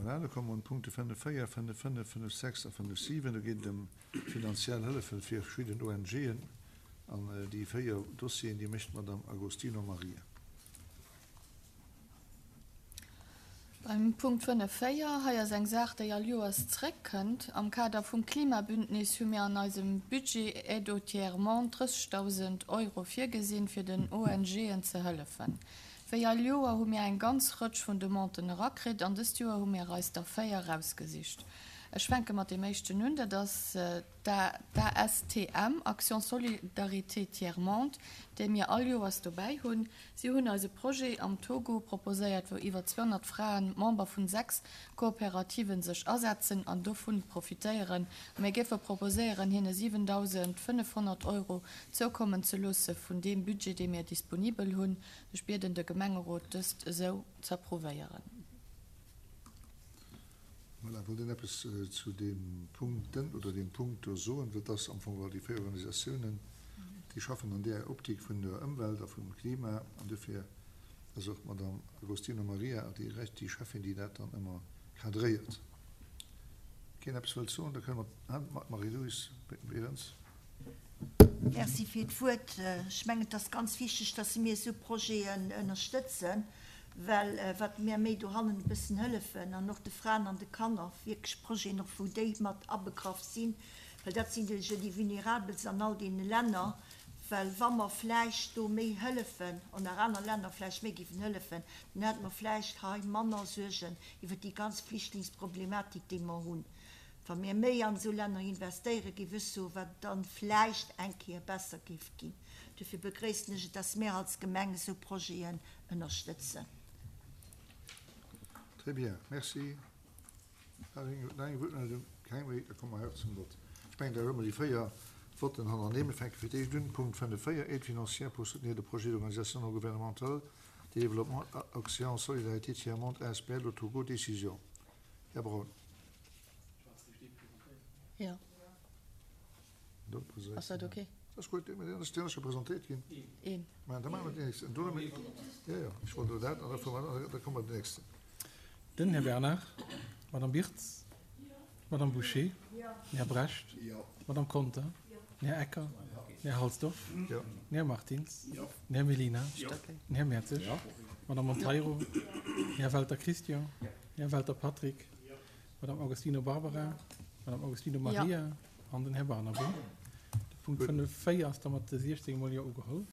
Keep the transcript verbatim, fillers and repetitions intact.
Voilà, da komme mer un d'Punkte fënnef véier, fënnef fënnef, fënnef sechs a fënnef siwen. Do geet et ëm finanziell Hëllefe fir verschidden ONGen. An déi véier Dossieren, déi mécht d'Madame Agostino Maria. Beim Punkt fënnef véier, hei ass eng Saach, déi all Joers zréckkënnt. Am Kader vum Klimabündnis hu mir an eisem Budget Aide au tiers-monde drëssegdausend Euro virgesinn, fir den ONGen ze hëllefen. Wéi all Joer hu mir eng ganz Rëtsch vun Demanden erakritt an dëst Joer hu mir eis der véier erausgesicht. Ech fänke mat deem éischten un, dat ass d'ASTM, Action Solidarité Tiers Monde, déi mir all Joers dobäi hunn. Si hunn eis e Projet am Togo proposéiert, wou iwwer zweehonnert Fraen, Member vun sechs Kooperativen, sech asetzen an dovun profitéieren. A mir géife proposéieren, hinne siwendausendfënnefhonnert Euro zoukommen ze loosse vun deem Budget, dee mir disponibel hunn. Ech bieden de Gemengerot, dëst esou z'approuvéieren. Voilà, wollt een eppes zu deem Punkten oder deem Punkt do soen? Well et ass am Fong geholl déi véier Organisatiounen, déi schaffen an där Optik vun der Ëmwelt a vum Klima an dofir ass och d'Madame Agostino Maria déi recht, déi Cheffin, déi dat dann ëmmer cadréiert. Keen eppes wëllt soen, da kënne mer, Marie-Louise Berens. Merci fir d'Wuert. Ech mengen, et ass ganz wichteg, dass mir esou Projeten ënnerstëtzen, well wat mir méi dohannen e bëssen hëllefen an och de Fraen an de Kanner, wierklech Projeten och, wou déi mat abegraff sinn, well dat sinn jo déi Vulnerabelst an all deene Länner, well wa mer vläicht do méi hëllefen an nach aner Länner vläicht méi géifen hëllefen, dann hätte mer vläicht hei manner Suergen iwwert déi ganz Flüchtlingsproblematik, déi mer hunn. Wa mir méi an esou Länner investéieren, géif ech soen, wat et dann vläicht eng Kéier besser géif ginn. Dofir begréissen ech et, dass mir als Gemeng esou Projeten ënnerstëtzen. Très bien, merci. Nach eng Wuertmeldung? Keng méi? Da komme mer haut zum Vott. Ech mengen, da hu mer déi véier Votten hannerneem. Mir fänke fir d'éischt un, Punkt fënnef véier, Aide financière pour soutenir le projet d'organisation non gouvernementale de développement Action Solidarité Tiers-Monde asbl au Togo, Décision. Här Braun. Jo. Ass dat ok? Ass gutt, deen ass scho presentéiert ginn. Een. Mä da maache mer deen nächsten. Do hu mir, jo, jo, ech wollt elo dat, an da fuere mer, da komme mer den nächsten. Den Här Bernard, d'Madame Birtz, d'Madame Bouché, den Här Brecht, d'Madame Conter, den Här Ecker, den Här Halsdorf, den Här Martins, den Här Mellina, den Här Mertzig, d'Madame Monteiro, den Här Welter Christian, den Här Welter Patrick, d'Madame Agostino Barbara, d'Madame Agostino Maria an den Här Barnabé. De Punkt fënnef véier ass da mat siechzéng mol Jo ugeholl.